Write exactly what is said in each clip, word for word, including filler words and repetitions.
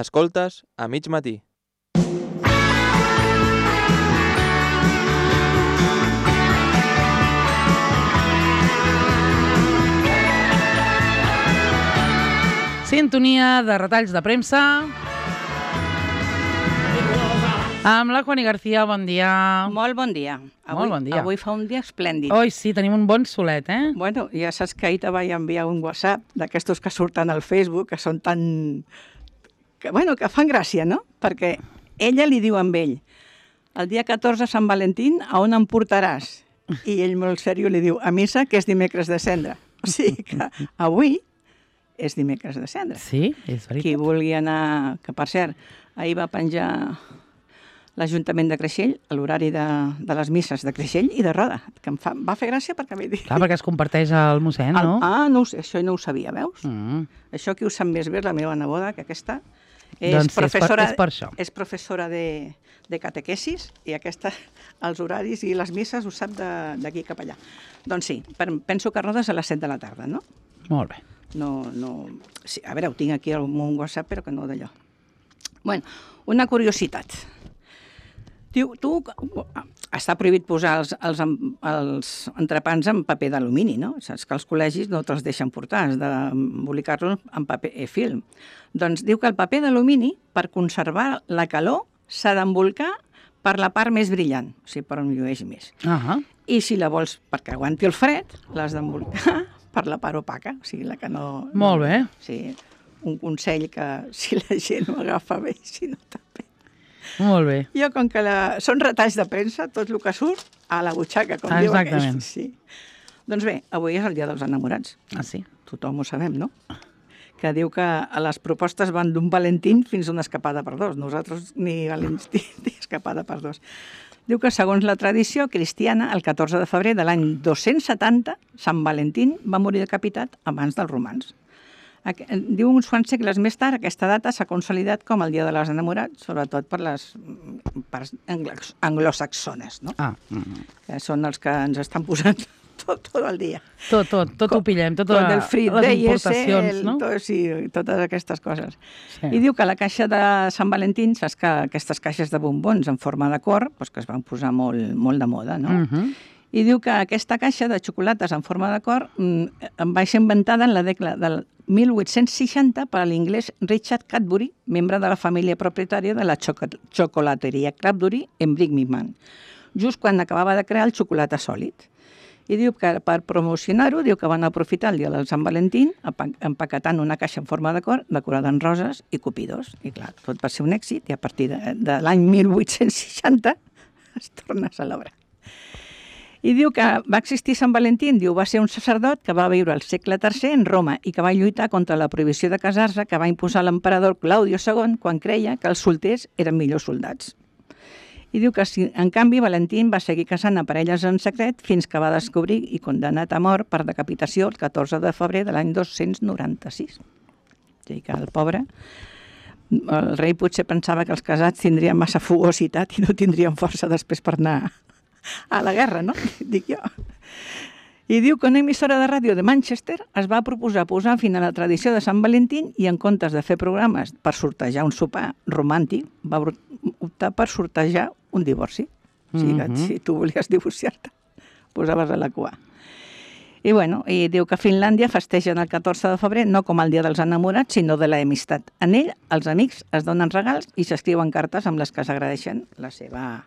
Escoltes a mig matí. Sintonia de retalls de premsa amb la Juani García. Bon dia. Molt bon dia. Avui, Molt bon dia. Avui fa un dia esplèndid. Oi, sí, tenim un bon solet, eh? Bueno, ja saps que ahir te vaig enviar un WhatsApp d'aquestos que surten al Facebook, que són tan... Que, bueno, que fan gràcia, no? Perquè ella li diu amb ell, el dia catorze Sant Valentín, a on em portaràs? I ell molt seriós li diu, a missa, que és dimecres de cendra. O sigui que avui és dimecres de cendra. Sí, és veritat. Qui vulgui anar... Que, per cert, ahir va penjar l'Ajuntament de Creixell a l'horari de, de les misses de Creixell i de Roda, que em fa, va fer gràcia perquè m'he dit... Clar, perquè es comparteix al mossèn, no? El, ah, no ho sé, això no ho sabia, veus? Mm. Això qui ho sap més bé és la meva neboda, que aquesta és Doncs sí, professora, és per, és per això. és professora de, de catequesis i aquesta, els horaris i les misses ho sap d'aquí cap allà. Doncs sí, per, penso que Roda és a les set de la tarda, no? Molt bé. No, no... Sí, a veure, ho tinc aquí al meu WhatsApp, però que no d'allò. Bueno, una curiositat. Diu, tu, està prohibit posar els, els, els entrepans en paper d'alumini, no? Saps que els col·legis no te'ls deixen portar, has d'embolicar-los en paper eh, film. Doncs diu que el paper d'alumini, per conservar la calor, s'ha d'embolcar per la part més brillant, o sigui, per on llueix més. Uh -huh. I si la vols perquè aguanti el fred, l'has d'embolcar per la part opaca, o sigui, la que no... Molt bé. Sí, un consell que si la gent ho agafa bé, si no també. Molt bé. Jo, com que la... són retalls de premsa, tot el que surt a la butxaca, com diu aquell. Exactament. Sí. Doncs bé, avui és el dia dels enamorats. Ah, sí? Tothom ho sabem, no? Que diu que a les propostes van d'un Valentín fins a una escapada per dos. Nosaltres ni Valentín ni escapada per dos. Diu que, segons la tradició cristiana, el catorze de febrer de l'any dos-cents setanta, Sant Valentín va morir decapitat abans dels romans. Diu uns quants segles més tard, aquesta data s'ha consolidat com el dia de les enamorats, sobretot per les parts anglosaxones, no? Ah. Mm. Que són els que ens estan posant tot, tot el dia. Tot, tot, tot ho pillem, tot tot el Free les Day, importacions, el, no? tot, sí, totes aquestes coses. Sí. I diu que la caixa de Sant Valentín, saps que aquestes caixes de bombons en forma de cor, doncs que es van posar molt, molt de moda, no? Uh -huh. I diu que aquesta caixa de xocolates en forma de cor mm, va ser inventada en la dècada del mil vuit-cents seixanta per l'inglès Richard Cadbury, membre de la família propietària de la xocolateria Cadbury en Birmingham, just quan acabava de crear el xocolata sòlid. I diu que per promocionar-ho, diu que van aprofitar el dia del Sant Valentín empaquetant una caixa en forma de cor decorada en roses i cupidors. I clar, tot va ser un èxit i a partir de, de l'any mil vuit-cents seixanta es torna a celebrar. I diu que va existir Sant Valentín, diu, va ser un sacerdot que va viure al segle tercer en Roma i que va lluitar contra la prohibició de casar-se que va imposar l'emperador Claudio segon quan creia que els solters eren millors soldats. I diu que, en canvi, Valentín va seguir casant a parelles en secret fins que va descobrir i condenat a mort per decapitació el catorze de febrer de l'any dos-cents noranta-sis. O sigui que el pobre, el rei potser pensava que els casats tindrien massa fugositat i no tindrien força després per anar a la guerra, no? Dic jo. I diu que una emissora de ràdio de Manchester es va proposar posar fin a la tradició de Sant Valentín i en comptes de fer programes per sortejar un sopar romàntic, va optar per sortejar un divorci. O sigui que si tu volies divorciar-te, posaves a la cua. I bueno, i diu que a Finlàndia festegen el catorze de febrer no com el dia dels enamorats, sinó de l'amistat. En ell, els amics es donen regals i s'escriuen cartes amb les que s'agradeixen la seva...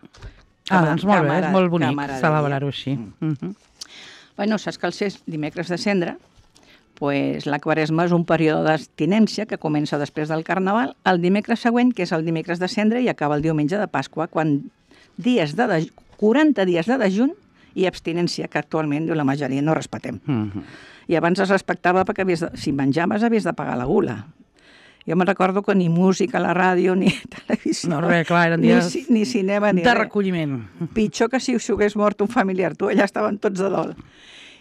Ah, doncs molt bé, és molt bonic celebrar-ho així. Bueno, saps que el ser dimecres de cendra, pues, la Quaresma és un període d'abstinència que comença després del Carnaval, el dimecres següent, que és el dimecres de cendra, i acaba el diumenge de Pasqua, quan dies de dej... quaranta dies de dejunt i abstinència, que actualment diu, la majoria no respetem. Uh-huh. I abans es respectava perquè havies de... si menjaves havies de pagar la gula. Jo me'n recordo que ni música a la ràdio, ni televisió... No, res, clar, eren dies ni, ni cinema, ni de res. recolliment. Pitjor que si us hagués mort un familiar. Tu, allà estaven tots de dol.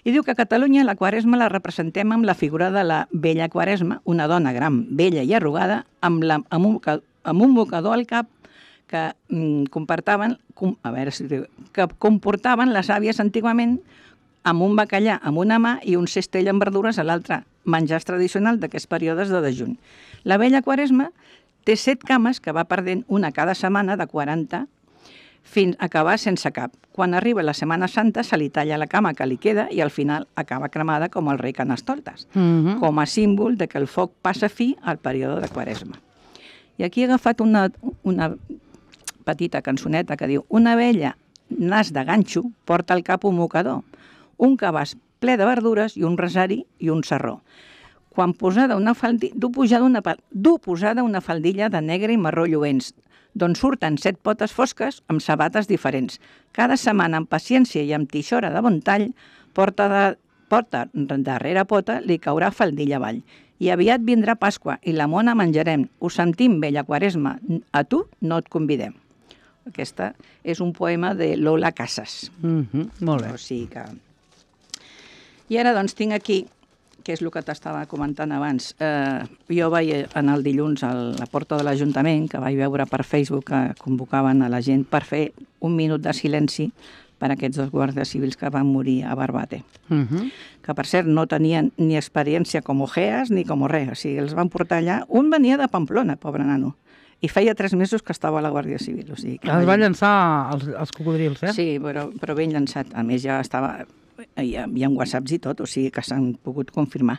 I diu que a Catalunya la Quaresma la representem amb la figura de la vella Quaresma, una dona gran, vella i arrugada, amb, la, amb, un, amb un mocador al cap que mm, comportaven, com, a veure si diu, que comportaven les àvies antigament amb un bacallà amb una mà i un cestell amb verdures a l'altra, menjars tradicional d'aquests períodes de dejunt. La vella Quaresma Té set cames que va perdent una cada setmana de quaranta fins a acabar sense cap. Quan arriba la Setmana Santa se li talla la cama que li queda i al final acaba cremada com el rei Carnestoltes, Mhm. com a símbol de que el foc passa fi al període de Quaresma. I aquí he agafat una, una petita cançoneta que diu: una abella nas de ganxo porta al cap un mocador, un cabàs ple de verdures i un rosari i un sarró. Quan posada una faldilla, du posada una, du posada una faldilla de negre i marró lluents, d'on surten set potes fosques amb sabates diferents. Cada setmana, amb paciència i amb tixora de bon tall, porta, de, porta darrere pota li caurà faldilla avall. I aviat vindrà Pasqua i la mona menjarem. Us sentim, vella Quaresma. A tu no et convidem. Aquesta és un poema de Lola Casas. Mhm, molt bé. O sigui que... I ara doncs tinc aquí, que és el que t'estava comentant abans. Eh, jo vaig anar el dilluns a la porta de l'Ajuntament, que vaig veure per Facebook que convocaven a la gent per fer un minut de silenci per a aquests dos guàrdies civils que van morir a Barbate. Mhm. Que, per cert, no tenien ni experiència com ojeas ni com res. O sigui, els van portar allà. Un venia de Pamplona, pobre nano, i feia tres mesos que estava a la Guàrdia Civil. O sigui, que Els va llançar els, els cocodrils, eh? Sí, però, però ben llançat. A més, ja estava... Hi ha, hi ha whatsapps i tot, o sigui que s'han pogut confirmar.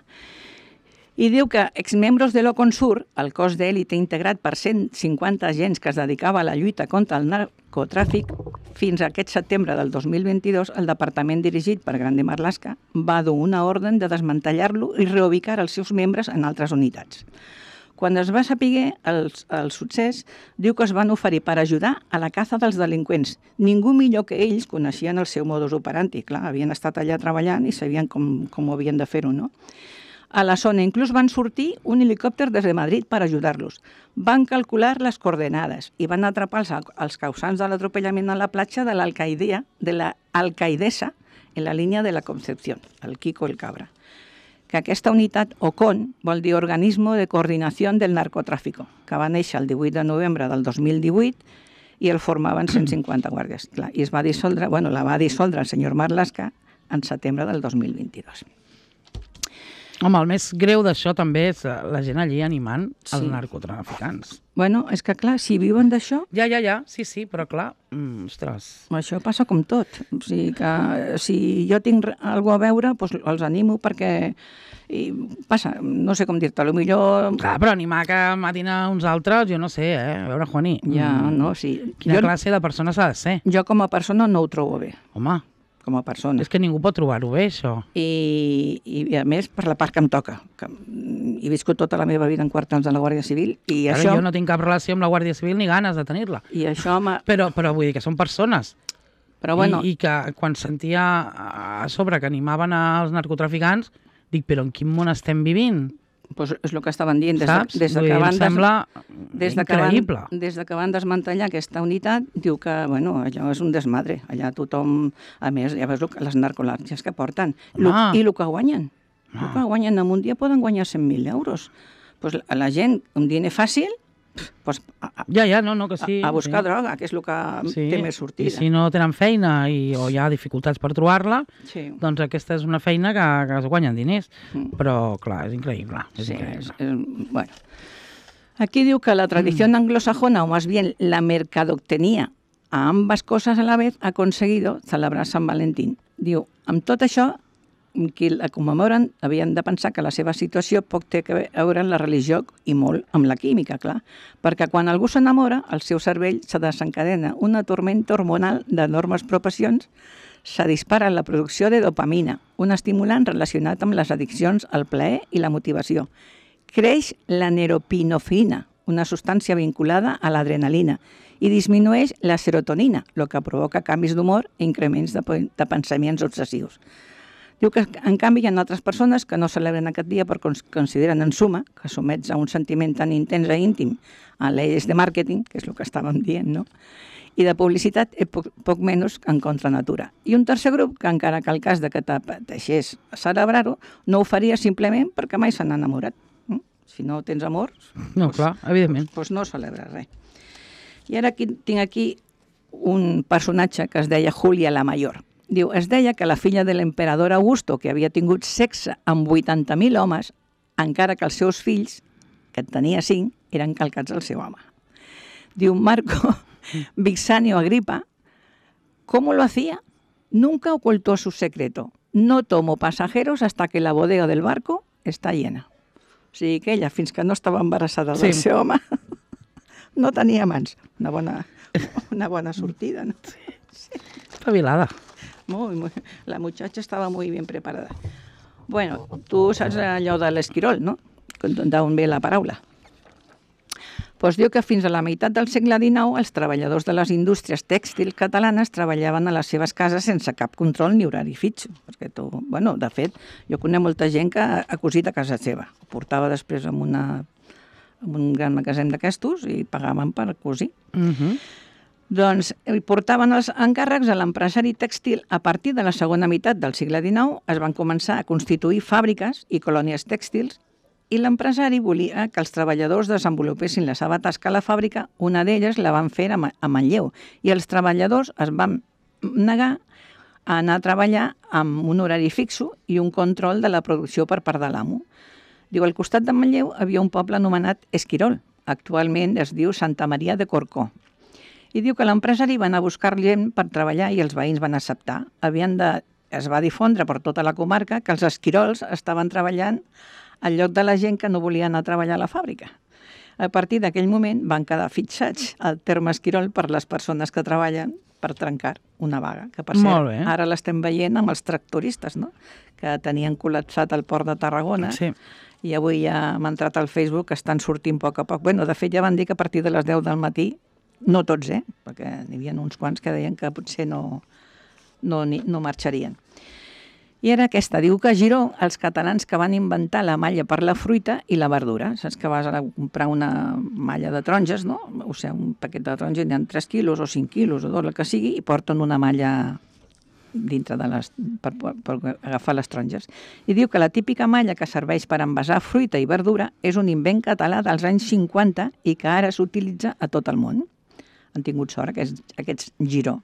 I diu que exmembros de l'Oconsur, el cos d'èlite integrat per cent cinquanta agents que es dedicava a la lluita contra el narcotràfic, fins a aquest setembre del dos mil vint-i-dos, el departament dirigit per Grande Marlaska va dur una ordre de desmantellar-lo i reubicar els seus membres en altres unitats. Quan es va saber el, el succés, diu que es van oferir per ajudar a la caça dels delinqüents. Ningú millor que ells coneixien el seu modus operandi. Clar, havien estat allà treballant i sabien com, com havien de fer-ho, no? A la zona inclús van sortir un helicòpter des de Madrid per ajudar-los. Van calcular les coordenades i van atrapar els, els causants de l'atropellament a la platja de l'Alcaidea, de la Alcaidesa, en la línia de la Concepción, el Kiko el Cabra. Que aquesta unitat, O C O N, vol dir Organismo de Coordinació del Narcotràfico, que va néixer el divuit de novembre del dos mil divuit i el formaven cent cinquanta guàrdies. Clar, i es va dissoldre, bueno, la va dissoldre el senyor Marlaska en setembre del dos mil vint-i-dos. Home, el més greu d'això també és la gent allí animant els Sí. narcotraficants. Bueno, és que clar, si viuen d'això, Ja, ja, ja, sí, sí, però clar, mm, ostres... això passa com tot. O sigui que si jo tinc alguna a veure, doncs els animo perquè i passa, no sé com dir-te, potser... Clar, però animar que matin a uns altres, jo no sé, eh? A veure, Juaní... Ja, mm, no, sí. Quina Jo, classe de persona s'ha de ser? jo com a persona no ho trobo bé, Home, com a persona. és que ningú pot trobar-ho bé, això. I, i a més per la part que em toca. Que he viscut tota la meva vida en quartels de la Guàrdia Civil i Ara això... jo no tinc cap relació amb la Guàrdia Civil ni ganes de tenir-la. I això m'ha... Però, però vull dir que són persones. Però bueno, I, I que quan sentia a sobre que animaven als narcotraficants, dic, però en quin món estem vivint? doncs és el que estaven dient. Des de, Saps? des de Vull que dir, van em des, sembla des de que van, increïble. des de que van desmantellar aquesta unitat, diu que, bueno, allò és un desmadre. Allà tothom, a més, ja veus el que- les narcolàrgies que porten. Lo, Home. I el que guanyen. El Ah. que guanyen en un dia poden guanyar cent mil euros. Pues a la gent, un diner fàcil, pues, a, a, Ja, ja, no, no, que sí. a buscar sí. droga, que és el que Sí. té més sortida. I si no tenen feina i, o hi ha dificultats per trobar-la, Sí. doncs aquesta és una feina que, que es guanyen diners. Mm. Però, clar, és increïble. És Sí, increïble. es- es- bueno. Aquí diu que la tradición anglosajona, o más bien la mercadoctenía a ambas cosas a la vez, ha conseguido celebrar Sant Valentín. Diu, amb tot això, qui la commemoren havien de pensar que la seva situació poc té a veure amb la religió i molt amb la química, clar. Perquè quan algú s'enamora, el seu cervell se desencadena una tormenta hormonal d'enormes proporcions, se dispara la producció de dopamina, un estimulant relacionat amb les addiccions al plaer i la motivació. Creix la neropinofrina, una substància vinculada a l'adrenalina, i disminueix la serotonina, el que provoca canvis d'humor i increments de, de pensaments obsessius. Diu que, en canvi, hi ha altres persones que no celebren aquest dia perquè consideren, en suma, que somets a un sentiment tan intens i íntim a lleis de màrqueting, que és el que estàvem dient, no?, i de publicitat és poc, poc menys en contra natura. I un tercer grup, que encara que el cas de que t'apeteixés celebrar-ho, no ho faria simplement perquè mai s'han enamorat. Mm? Si no tens amor, No, doncs, clar, evidentment. doncs no celebres res. I ara aquí, tinc aquí un personatge que es deia Julia la Mayor. Diu, es deia que la filla de l'emperador Augusto, que havia tingut sexe amb vuitanta mil homes, encara que els seus fills, que en tenia cinc, eren calcats al seu home. Diu Marco Vixanio Agripa, ¿cómo lo hacía? Nunca ocultó su secreto. No tomo pasajeros hasta que la bodega del barco está llena. O sigui que ella, fins que no estava embarassada del Sí. seu home, no tenia mans. Una bona, una bona sortida, ¿no? Espavilada. Muy, muy, la muchacha estava muy bien preparada. Bueno, tu saps allò de l'esquirol, no? D'on ve la paraula. Doncs diu que fins a la meitat del segle dinou els treballadors de les indústries tèxtils catalanes treballaven a les seves cases sense cap control ni horari fix. Perquè tu, bueno, de fet, jo conec molta gent que ha cosit a casa seva. Ho portava després en, una, en un gran magatzem d'aquestos i pagaven per cosir. Uh -huh. Doncs hi portaven els encàrrecs a l'empresari tèxtil. A partir de la segona meitat del segle dinou es van començar a constituir fàbriques i colònies tèxtils i l'empresari volia que els treballadors desenvolupessin la seva tasca a la fàbrica. Una d'elles la van fer a Manlleu i els treballadors es van negar a anar a treballar amb un horari fixo i un control de la producció per part de l'amo. Diu, al costat de Manlleu havia un poble anomenat Esquirol. Actualment es diu Santa Maria de Corcó. I diu que l'empresari va anar a buscar gent per treballar i els veïns van acceptar. Havien de, es va difondre per tota la comarca que els esquirols estaven treballant al lloc de la gent que no volia anar a treballar a la fàbrica. A partir d'aquell moment van quedar fixats al terme esquirol per les persones que treballen per trencar una vaga, que per Molt cert, bé. ara l'estem veient amb els tractoristes, no? Que tenien col·lapsat el port de Tarragona. Sí. I avui ja m'ha entrat al Facebook que estan sortint a poc a poc. Bueno, de fet, ja van dir que a partir de les deu del matí, no tots, eh? Perquè n'hi havia uns quants que deien que potser no, no, ni, no marxarien. I era aquesta. Diu que a Giró, els catalans que van inventar la malla per la fruita i la verdura. Saps que vas a comprar una malla de taronges, no? O sigui, un paquet de taronges n'hi ha tres quilos o cinc quilos o dos, el que sigui, i porten una malla dintre de les, per, per agafar les taronges. I diu que la típica malla que serveix per envasar fruita i verdura és un invent català dels anys cinquanta i que ara s'utilitza a tot el món. Han tingut sort aquests, aquests Giró.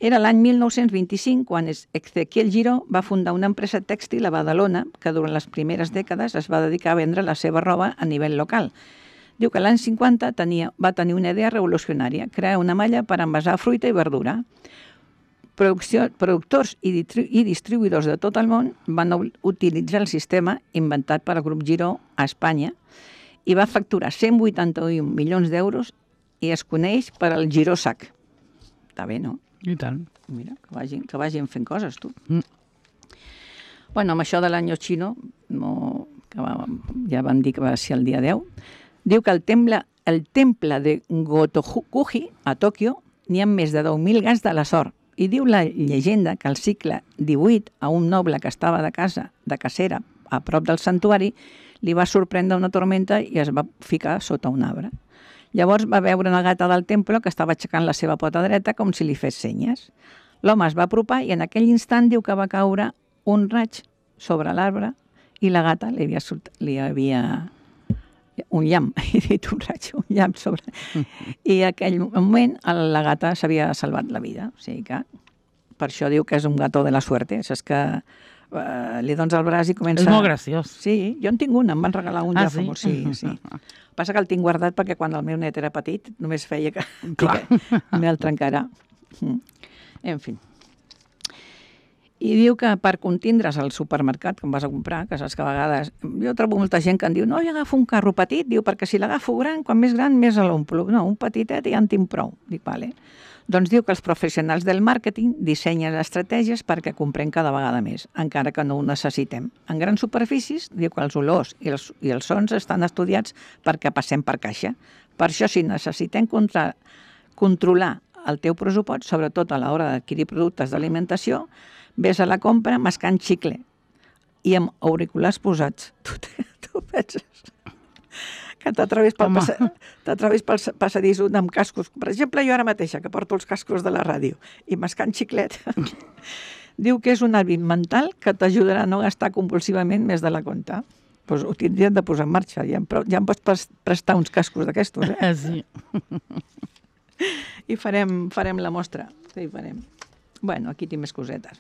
Era l'any mil nou-cents vint-i-cinc quan Ezequiel Giró va fundar una empresa tèxtil a Badalona que durant les primeres dècades es va dedicar a vendre la seva roba a nivell local. Diu que l'any cinquanta tenia, va tenir una idea revolucionària, crear una malla per envasar fruita i verdura. Producció, productors i, distri, i distribuïdors de tot el món van utilitzar el sistema inventat per al grup Giró a Espanya i va facturar cent vuitanta-un milions d'euros i es coneix per al Giró Sac. Està bé, no? I tant. Mira, que vagin, que vagin fent coses, tu. Mm. Bueno, amb això de l'any xino, no, que va, ja vam dir que va ser el dia deu, diu que el temple, el temple de Gotokuji, a Tòquio, n'hi ha més de deu mil gats de la sort. I diu la llegenda que al segle divuit, a un noble que estava de casa, de cacera, a prop del santuari, li va sorprendre una tormenta i es va ficar sota un arbre. Llavors va veure una gata del temple que estava aixecant la seva pota dreta com si li fes senyes. L'home es va apropar i en aquell instant diu que va caure un raig sobre l'arbre i la gata li havia, li havia un llamp, he dit un raig, un llamp sobre... I en aquell moment la gata s'havia salvat la vida. O sigui que per això diu que és un gato de la suerte. Saps que uh, li dones el braç i comença... És molt graciós. Sí, jo en tinc un, em van regalar un ah, ja sí? fa molt. Sí, sí. Passa que el tinc guardat perquè quan el meu net era petit només feia que, Clar. que me'l trencarà. En fi. I diu que per contindre's al supermercat, quan vas a comprar, que saps que a vegades... Jo trobo molta gent que em diu, no, jo agafo un carro petit, diu, perquè si l'agafo gran, quan més gran, més l'omplo. No, un petitet ja en tinc prou. Dic, vale. Doncs diu que els professionals del màrqueting dissenyen estratègies perquè comprem cada vegada més, encara que no ho necessitem. En grans superfícies, diu que els olors i els, i els sons estan estudiats perquè passem per caixa. Per això, si necessitem contra, controlar el teu pressupost, sobretot a l'hora d'adquirir productes d'alimentació, ves a la compra mascant xicle i amb auriculars posats. Tu, tu penses que t'atrevis pel, passa, pel passadís amb cascos. Per exemple, jo ara mateixa, que porto els cascos de la ràdio i mascant xiclet, diu que és un hàbit mental que t'ajudarà a no gastar compulsivament més de la compta. Pues ho tindrien de posar en marxa. Ja em, ja em pots prestar uns cascos d'aquestos, eh? Sí. I farem, farem la mostra. Sí, farem. Bueno, aquí tinc més cosetes.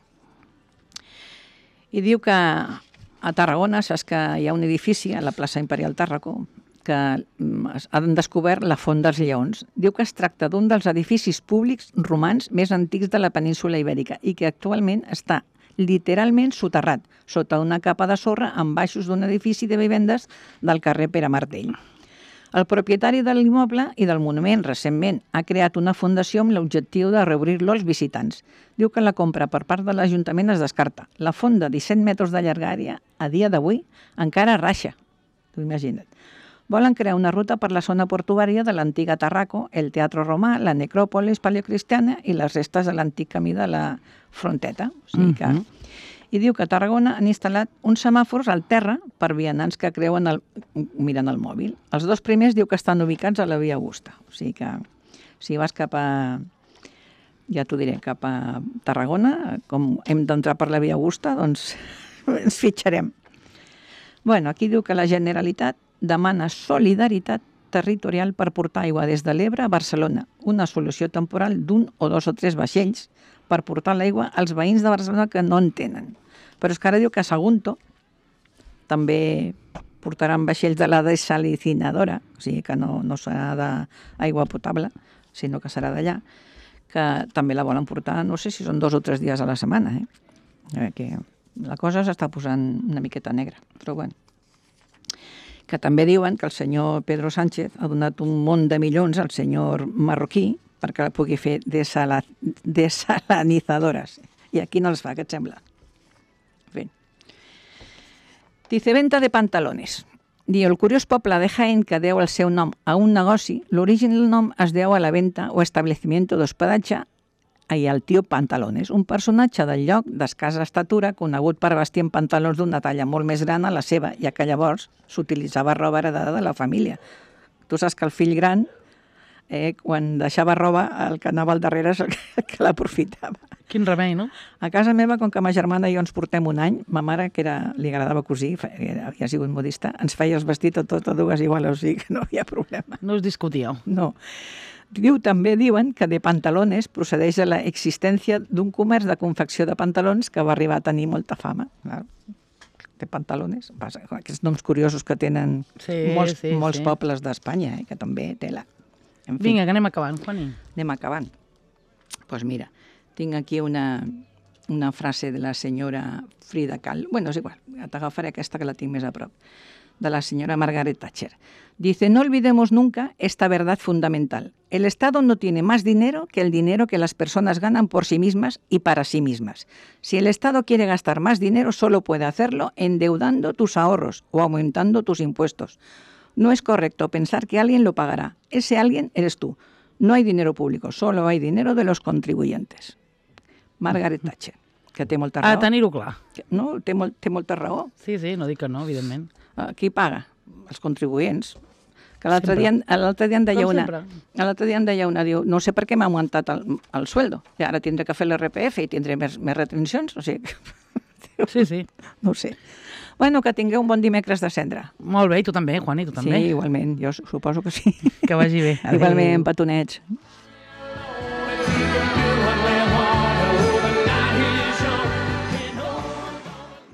I diu que a Tarragona, saps que hi ha un edifici a la plaça Imperial Tàrraco, que han descobert la Font dels Lleons. Diu que es tracta d'un dels edificis públics romans més antics de la península Ibèrica i que actualment està literalment soterrat, sota una capa de sorra en baixos d'un edifici de vivendes del carrer Pere Martell. El propietari de l'immoble i del monument recentment ha creat una fundació amb l'objectiu de reobrir-lo als visitants. Diu que la compra per part de l'Ajuntament es descarta. La font de disset metres de llargària, a dia d'avui, encara raixa. T'ho imagina't. Volen crear una ruta per la zona portuària de l'antiga Tarraco, el Teatre Romà, la necròpolis paleocristiana i les restes de l'antic camí de la Fronteta. O sigui que... Mhm. I diu que a Tarragona han instal·lat uns semàfors al terra per vianants que creuen el, mirant el mòbil. Els dos primers diu que estan ubicats a la Via Augusta. O sigui que si vas cap a, ja t'ho diré, cap a Tarragona, com hem d'entrar per la Via Augusta, doncs ens fitxarem. Bueno, aquí diu que la Generalitat demana solidaritat territorial per portar aigua des de l'Ebre a Barcelona, una solució temporal d'un o dos o tres vaixells per portar l'aigua als veïns de Barcelona que no en tenen. Però és que ara diu que a Sagunto també portaran vaixells de la desalicinadora, o sigui que no, no serà d'aigua potable, sinó que serà d'allà, que també la volen portar, no sé si són dos o tres dies a la setmana. Eh? Que la cosa s'està posant una miqueta negra, però bueno. Que també diuen que el senyor Pedro Sánchez ha donat un munt de milions al senyor marroquí perquè la pugui fer desala, desalinizadores. I aquí no els fa, què et sembla? En fi. Dice, venta de pantalones. Diu, el curiós poble de Jaén que deu el seu nom a un negoci, l'origen del nom es deu a la venta o establecimiento d'hospedatge i al tio Pantalones, un personatge del lloc d'escassa estatura conegut per vestir en pantalons d'una talla molt més gran a la seva, ja que llavors s'utilitzava roba heredada de la família. Tu saps que el fill gran, eh, quan deixava roba, el que anava al darrere és el que, que l'aprofitava. Quin remei, no? A casa meva, com que ma germana i jo ens portem un any, ma mare, que era, li agradava cosir, havia sigut modista, ens feia els vestits a totes dues igual, o sigui que no hi havia problema. No us discutíeu. No. Diu, també diuen que de Pantalones procedeix de l'existència d'un comerç de confecció de pantalons que va arribar a tenir molta fama. Clar. De Pantalones, aquests noms curiosos que tenen Sí, molts, sí, molts sí. pobles d'Espanya, eh, que també tela. En fi, Vinga, que anem acabant, Juani. anem acabant. Doncs pues mira, tinc aquí una, una frase de la senyora Frida Kahlo. Bueno, és igual, t'agafaré aquesta que la tinc més a prop. De la señora Margaret Thatcher. Dice, no olvidemos nunca esta verdad fundamental. El Estado no tiene más dinero que el dinero que las personas ganan por sí mismas y para sí mismas. Si el Estado quiere gastar más dinero, solo puede hacerlo endeudando tus ahorros o aumentando tus impuestos. No es correcto pensar que alguien lo pagará. Ese alguien eres tú. No hay dinero público, solo hay dinero de los contribuyentes. Margaret Thatcher, que té molta raó. A tenir-ho clar. No, té, molt, té molta raó. Sí, sí, no dic que no, evidentment. Qui paga? Els contribuents. Que l'altre Sempre. dia, l'altre dia en deia Com una... sempre. L'altre dia en deia una, diu, no sé per què m'ha augmentat el, el sueldo. I ara tindré que fer l'R P F i tindré més, més retencions. O sigui, Sí, sí. no ho sé. Bueno, que tingueu un bon dimecres de cendra. Molt bé, i tu també, Juani, tu també. Sí, igualment, jo suposo que sí. Que vagi bé. Adéu. Igualment, petonets.